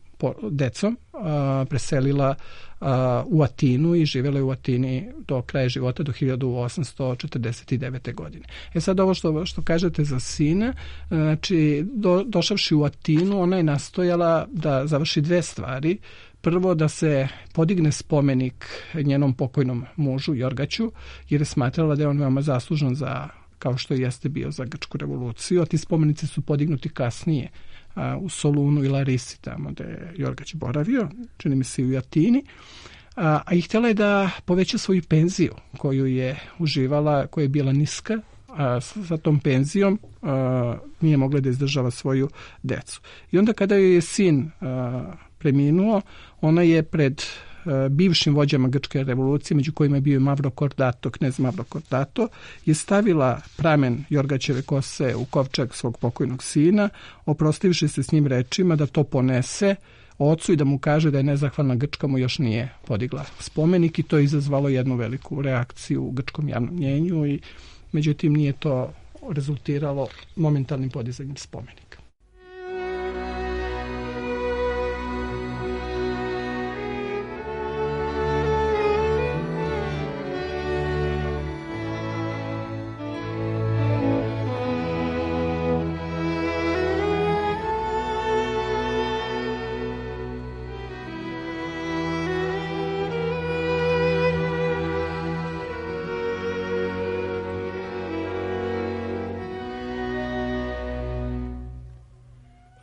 decom a, preselila a, u Atinu i živjela je u Atini do kraja života, do hiljadu osamsto četrdeset devete. godine. E sad ovo što, što kažete za sina, znači do, došavši u Atinu, ona je nastojala da završi dve stvari. Prvo, da se podigne spomenik njenom pokojnom mužu Jorgaću, jer je smatrala da je on veoma zaslužan za, kao što jeste bio za Grčku revoluciju, a ti spomenici su podignuti kasnije a, u Solunu i Larisi, tamo gde je Jorgać boravio, čini mi se i u Atini, a, a i htjela je da poveća svoju penziju koju je uživala, koja je bila niska, a sa tom penzijom a, nije mogla da izdržava svoju decu. I onda kada joj je sin a, preminuo, ona je pred bivšim vođama Grčke revolucije, među kojima je bio Mavro Kordato, knez Mavro Kordato, je stavila pramen Jorgaćeve kose u kovčeg svog pokojnog sina, oprostivši se s njim rečima da to ponese ocu i da mu kaže da je nezahvalna Grčka mu još nije podigla spomenik, i to je izazvalo jednu veliku reakciju u grčkom javnom mnjenju i međutim nije to rezultiralo momentalnim podizanjem spomenika.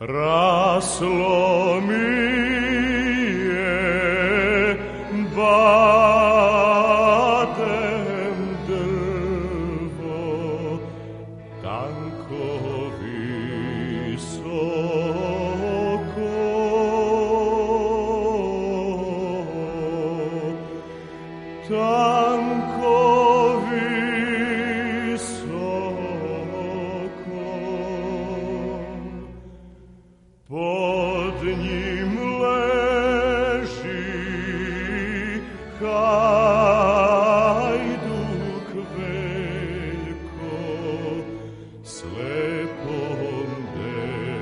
Raslo mi je batem drvo, tanko visoko, tanko pod njim leži hajduk veljko, slepom devojkom,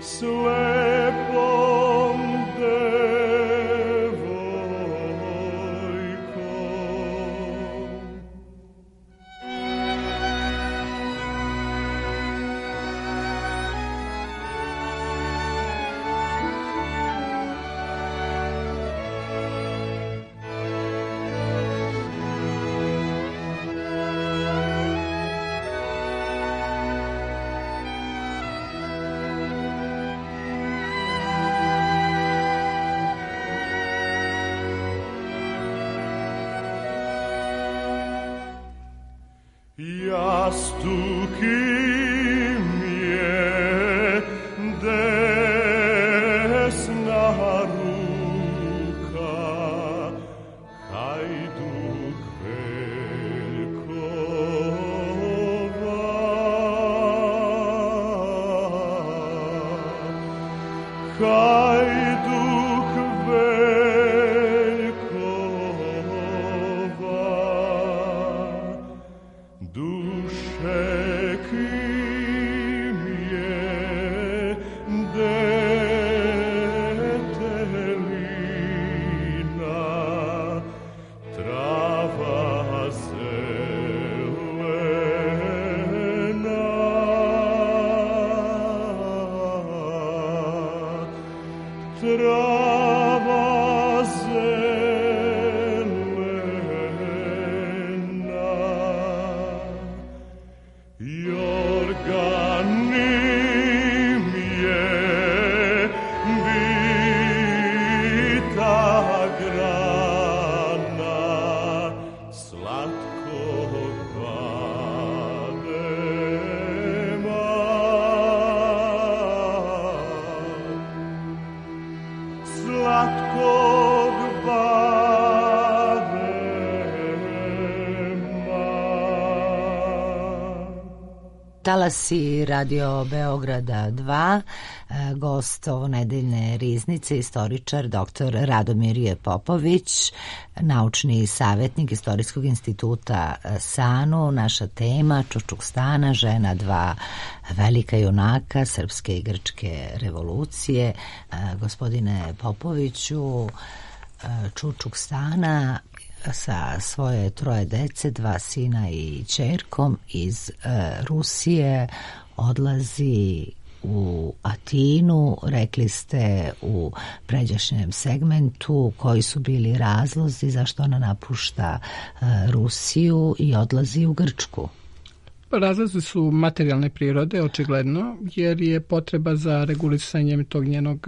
slepom jastuk im je desna ruka, hajduk veljkova, hajduk veljkova, duše Talasi Radio Beograda dva, gost ovo nedeljne riznice, istoričar doktor Radomir Popović, naučni savjetnik Istorijskog instituta SANU. Naša tema Čučukstana, žena dva velika junaka srpske i grčke revolucije. Gospodine Popoviću, Čučukstana sa svoje troje dece, dva sina i ćerkom iz e, Rusije odlazi u Atinu. Rekli ste u pređašnjem segmentu koji su bili razlozi zašto ona napušta e, Rusiju i odlazi u Grčku. Razlozi su materijalne prirode, očigledno, jer je potreba za regulisanjem tog njenog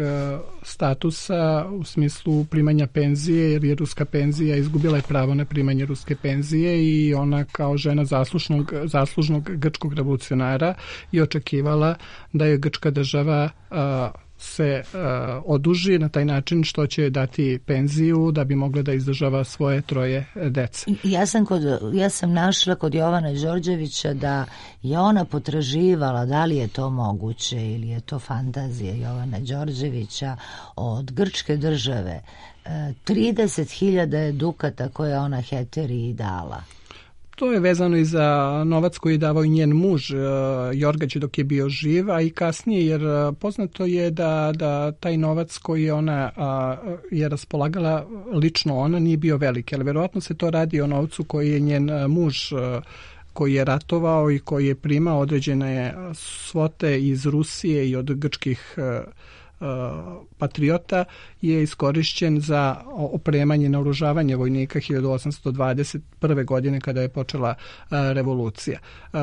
statusa u smislu primanja penzije, jer je ruska penzija izgubila je pravo na primanje ruske penzije i ona kao žena zaslužnog, zaslužnog grčkog revolucionara je očekivala da je grčka država a, se uh, oduži na taj način što će dati penziju da bi mogla da izdržava svoje troje dece. Ja sam, kod, ja sam našla kod Jovana Đorđevića da je ona potraživala, da li je to moguće ili je to fantazija Jovana Đorđevića, od grčke države trideset hiljada dukata koje ona Heteriji dala. To je vezano i za novac koji je davao i njen muž Jorgač dok je bio živ, a i kasnije, jer poznato je da, da taj novac koji je ona a, je raspolagala lično ona nije bio veliki, ali verovatno se to radi o novcu koji je njen muž koji je ratovao i koji je primao određene svote iz Rusije i od grčkih patriota, je iskorišćen za opremanje i naoružavanje vojnika hiljadu osamsto dvadeset prve. godine kada je počela revolucija.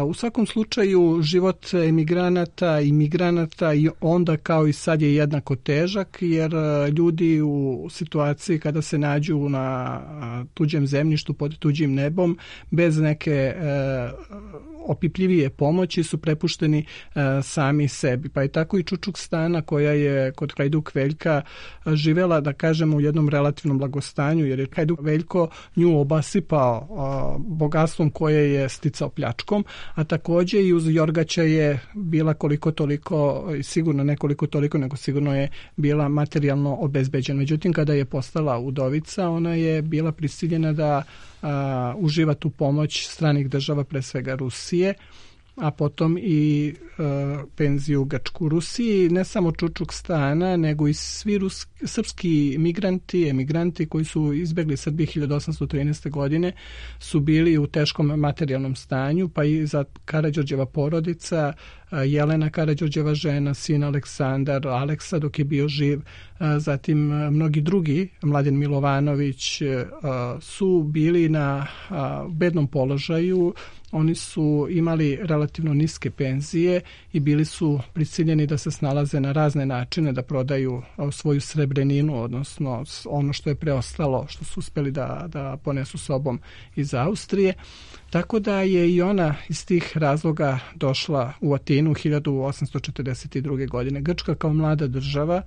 U svakom slučaju život emigranata i migranata i onda kao i sad je jednako težak, jer ljudi u situaciji kada se nađu na tuđem zemljištu pod tuđim nebom bez neke opipljivije pomoći su prepušteni sami sebi. Pa je tako i Čučukstana koja je kod Hajduk Veljka živela, da kažemo, u jednom relativnom blagostanju, jer je Hajduk Veljko nju obasipao a, bogatstvom koje je sticao pljačkom, a takođe i uz Jorgača je bila koliko toliko, sigurno nekoliko toliko, nego sigurno je bila materijalno obezbeđena. Međutim, kada je postala udovica, ona je bila prisiljena da a, uživa tu pomoć stranih država, pre svega Rusije, a potom i e, penziju u Grčku. Rusiji ne samo Čučukstana, nego i svi ruski, srpski migranti, emigranti koji su izbegli Srbije hiljadu osamsto trinaeste. godine su bili u teškom materijalnom stanju, pa i za Karađorđeva porodica, Jelena Karađorđeva žena, sin Aleksandar, Aleksa dok je bio živ, zatim mnogi drugi, Mladen Milovanović, su bili na bednom položaju. Oni su imali relativno niske penzije i bili su prisiljeni da se snalaze na razne načine, da prodaju svoju srebreninu, odnosno ono što je preostalo, što su uspeli da, da ponesu sobom iz Austrije. Tako da je i ona iz tih razloga došla u Atinu hiljadu osamsto četrdeset druge. godine. Grčka kao mlada država,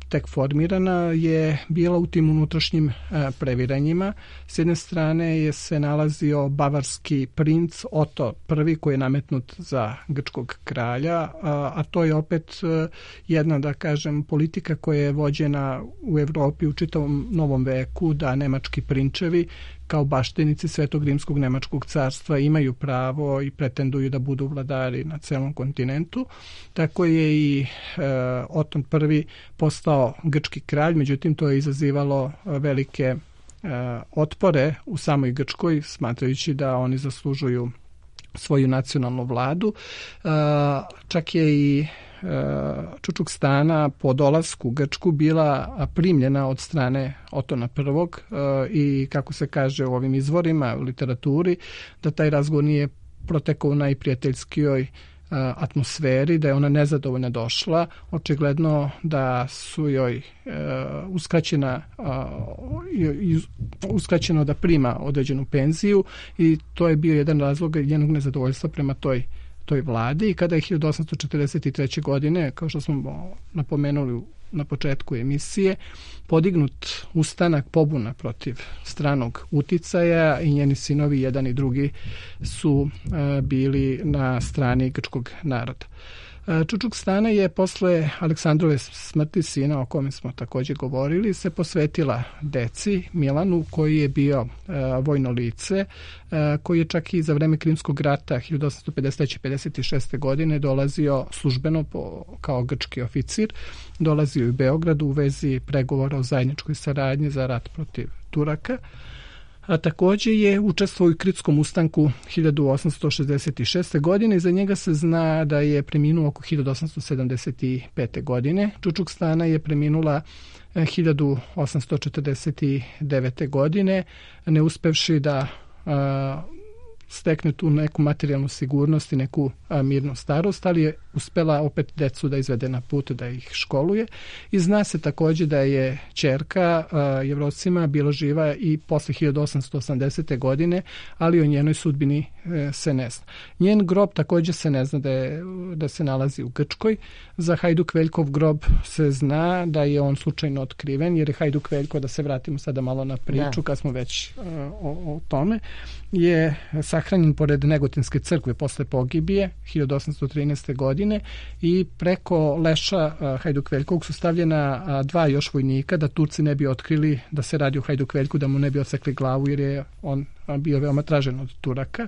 tek formirana, je bila u tim unutrašnjim previranjima. S jedne strane je se nalazio bavarski princ Oto prvi koji je nametnut za grčkog kralja, a, a to je opet jedna, da kažem, politika koja je vođena u Evropi u čitavom novom veku, da nemački prinčevi kao baštenici Svetog rimskog nemačkog carstva imaju pravo i pretenduju da budu vladari na celom kontinentu. Tako je i e, Oton prvi postao grčki kralj, međutim to je izazivalo velike e, otpore u samoj Grčkoj, smatrajući da oni zaslužuju svoju nacionalnu vladu. E, čak je i Čučukstana po dolasku u Grčku bila primljena od strane Otona prvog i kako se kaže u ovim izvorima u literaturi, da taj razgovor nije protekao u najprijateljskijoj atmosferi, da je ona nezadovoljna došla, očigledno da su joj uskraćena, uskraćeno da prima određenu penziju i to je bio jedan razlog njenog nezadovoljstva prema toj toj vladi. I kada je hiljadu osamsto četrdeset treće. godine, kao što smo napomenuli na početku emisije, podignut ustanak, pobuna protiv stranog uticaja i njeni sinovi, jedan i drugi, su bili na strani grčkog naroda. Čučuk Stana je posle Aleksandrove smrti, sina o kome smo također govorili, se posvetila deci Milanu, koji je bio e, vojno lice, e, koji je čak i za vreme Krimskog rata hiljadu osamsto pedeset treće pedeset šeste. godine dolazio službeno po, kao grčki oficir, dolazio u Beogradu u vezi pregovora o zajedničkoj saradnji za rat protiv Turaka. A također je učestvovao u Kritskom ustanku hiljadu osamsto šezdeset šeste. godine i za njega se zna da je preminuo oko hiljadu osamsto sedamdeset pete. godine. Čučuk Stana je preminula hiljadu osamsto četrdeset devete. godine, ne uspevši da a, stekne tu neku materijalnu sigurnost i neku a, mirnu starost, ali je uspela opet decu da izvede na put, da ih školuje. I zna se također da je ćerka a, Jevrosima bila živa i posle hiljadu osamsto osamdesete. godine, ali o njenoj sudbini e, se ne zna. Njen grob također se ne zna da, je, da se nalazi u Grčkoj. Za Hajduk Veljkov grob se zna da je on slučajno otkriven, jer je Hajduk Veljko, da se vratimo sada malo na priču, da. Kad smo već a, o, o tome, je sahranjen pored Negotinske crkve posle pogibije hiljadu osamsto trinaeste. godine i preko leša Hajduk Veljkovog su stavljena dva još vojnika da Turci ne bi otkrili da se radi o Hajduk Veljku, da mu ne bi odsekli glavu, jer je on bio veoma tražen od Turaka.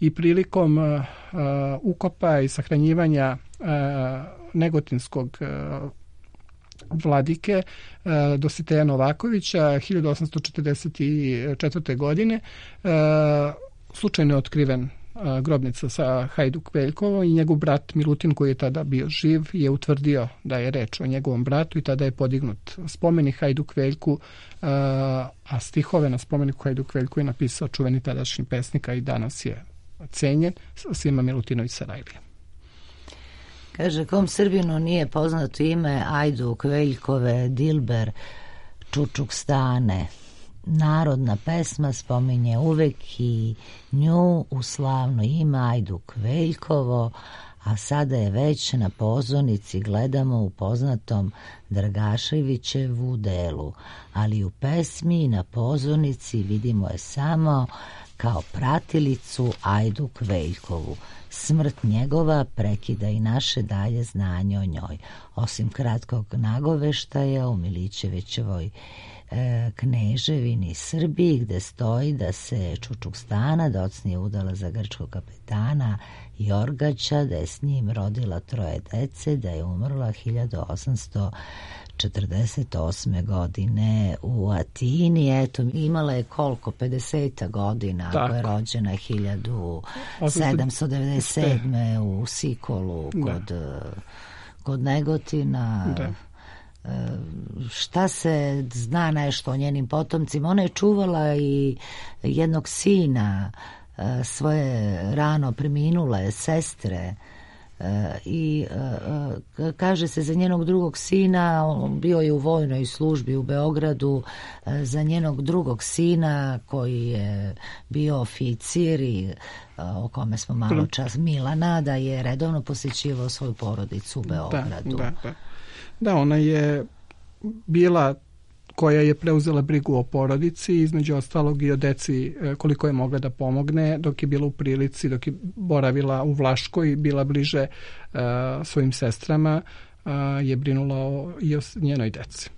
I prilikom uh, ukopa i sahranjivanja uh, Negotinskog uh, vladike uh, Dositeja Novakovića hiljadu osamsto četrdeset četvrte. godine uh, slučajno je otkriven uh, grobnica sa Hajduk Veljkovom i njegov brat Milutin, koji je tada bio živ, je utvrdio da je reč o njegovom bratu i tada je podignut spomenik Hajduk Veljku, uh, a stihove na spomeniku Hajduk Veljku je napisao čuveni tadašnji pesnik, a i danas je cenjen, Sima Milutinović Sarajlija. Kaže, kom Srbinu nije poznato ime Hajduk Veljkove Dilber Čučuk Stane? Narodna pesma spominje uvek i nju u slavno ime Hajduk Veljkovo, a sada je već na pozornici gledamo u poznatom Dragaševićevu delu, ali u pesmi na pozornici vidimo je samo kao pratilicu Hajduk Veljkovu. Smrt njegova prekida i naše dalje znanje o njoj. Osim kratkog nagoveštaja u Milićevićevoj e, Kneževini Srbiji, gde stoji da se Čučuk Stana docnije udala za grčkog kapetana Jorgaća, da je s njim rodila troje dece, da je umrla hiljadu osamsto četrdeset osme. godine u Atini. Eto, imala je koliko? pedeset godina, ako je rođena hiljadu sedamsto devedeset sedme. u Sikolu kod, da. kod Negotina. Da. Šta se zna nešto o njenim potomcima? Ona je čuvala i jednog sina, svoje rano preminule sestre, i kaže se za njenog drugog sina, bio je u vojnoj službi u Beogradu, za njenog drugog sina koji je bio oficir i o kome smo malo čas, Milana, da je redovno posjećivao svoju porodicu u Beogradu. Da, da, da. da ona je bila koja je preuzela brigu o porodici, između ostalog i o deci koliko je mogla da pomogne, dok je bila u prilici, dok je boravila u Vlaškoj, bila bliže uh, svojim sestrama, uh, je brinula o, i o njenoj deci.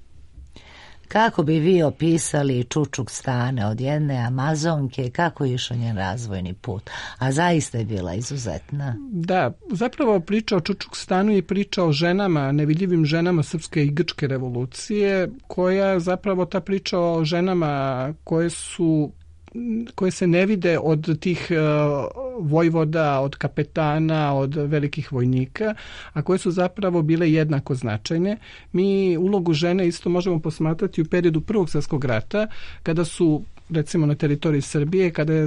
Kako bi vi opisali Čučuk Stane od jedne Amazonke, kako je išao njen razvojni put? A zaista je bila izuzetna. Da, zapravo priča o Čučuk Stanu je priča o ženama, nevidljivim ženama srpske i grčke revolucije, koja zapravo ta priča o ženama koje su koje se ne vide od tih uh, vojvoda, od kapetana, od velikih vojnika, a koje su zapravo bile jednako značajne. Mi ulogu žene isto možemo posmatrati u periodu Prvog svjetskog rata, kada su, recimo na teritoriji Srbije, kada je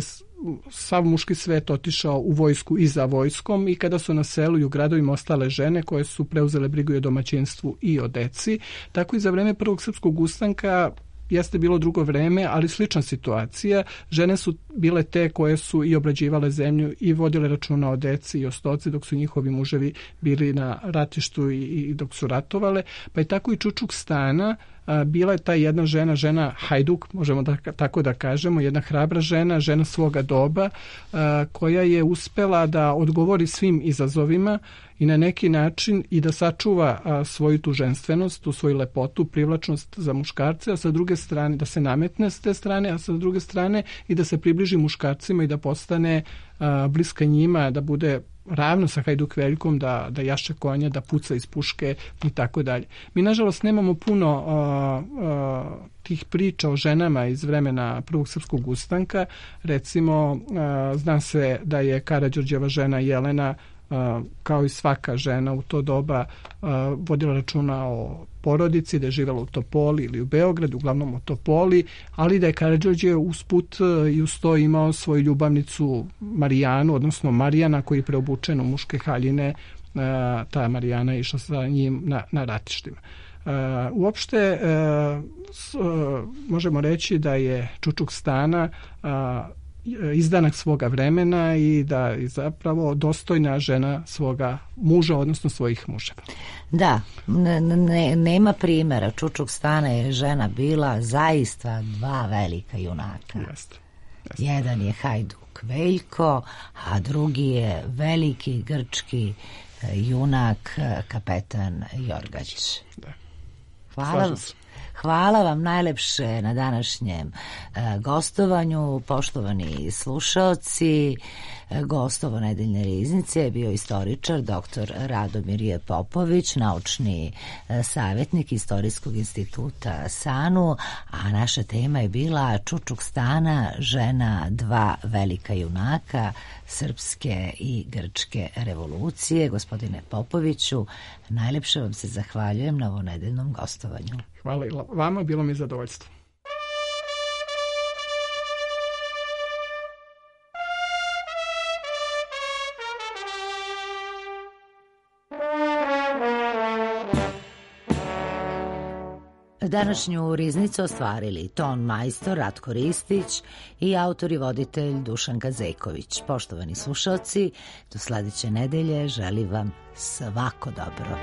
sav muški svet otišao u vojsku i za vojskom i kada su na selu i u gradovima ostale žene koje su preuzele brigu i o domaćinstvu i o deci. Tako i za vreme prvog srpskog ustanka jeste bilo drugo vreme, ali slična situacija. Žene su bile te koje su i obrađivale zemlju i vodile računa o deci i o stoci dok su njihovi muževi bili na ratištu i, i dok su ratovale. Pa je tako i Čučuk Stana a, bila je ta jedna žena, žena hajduk, možemo da, tako da kažemo, jedna hrabra žena, žena svoga doba, a, koja je uspela da odgovori svim izazovima i na neki način i da sačuva a, svoju tu ženstvenost, tu svoju lepotu, privlačnost za muškarce, a sa druge strane da se nametne s te strane, a sa druge strane i da se približi muškarcima i da postane a, bliska njima, da bude ravno sa Hajduk Veljkom, da, da jaše konja, da puca iz puške i tako dalje. Mi, nažalost, nemamo puno a, a, tih priča o ženama iz vremena prvog srpskog ustanka. Recimo, a, zna se da je Karađorđeva žena Jelena, Uh, kao i svaka žena u to doba uh, vodila računa o porodici, da je živjela u Topoli ili u Beogradu, uglavnom u Topoli, ali da je Karađorđe usput uh, i uz to imao svoju ljubavnicu Marijanu, odnosno Marijana, koji je preobučen u muške haljine. Uh, ta Marijana je išla sa njim na, na ratištima. Uh, uopšte uh, s, uh, možemo reći da je Čučuk Stana uh, izdanak svoga vremena i da je zapravo dostojna žena svoga muža, odnosno svojih muževa. Da, ne, ne, nema primjera. Čučuk Stana je žena bila zaista dva velika junaka. Jeste. Jeste. Jedan je Hajduk Veljko, a drugi je veliki grčki junak kapetan Jorgač. Da. Hvala. Hvala vam najlepše na današnjem e, gostovanju, poštovani slušaoci. E, gostovo Nedeljne riznice je bio istoričar doktor Radomir J. Popović, naučni e, savjetnik Istorijskog instituta SANU, a naša tema je bila Čučuk Stana, žena dva velika junaka srpske i grčke revolucije. Gospodine Popoviću, najlepše vam se zahvaljujem na ovo nedeljnom gostovanju. Hvala i vama, bilo mi zadovoljstvo. Današnju riznicu ostvarili ton majstor Ratko Ristić i autor i voditelj Dušan Kazejković. Poštovani slušalci, do sledeće nedelje želim vam svako dobro.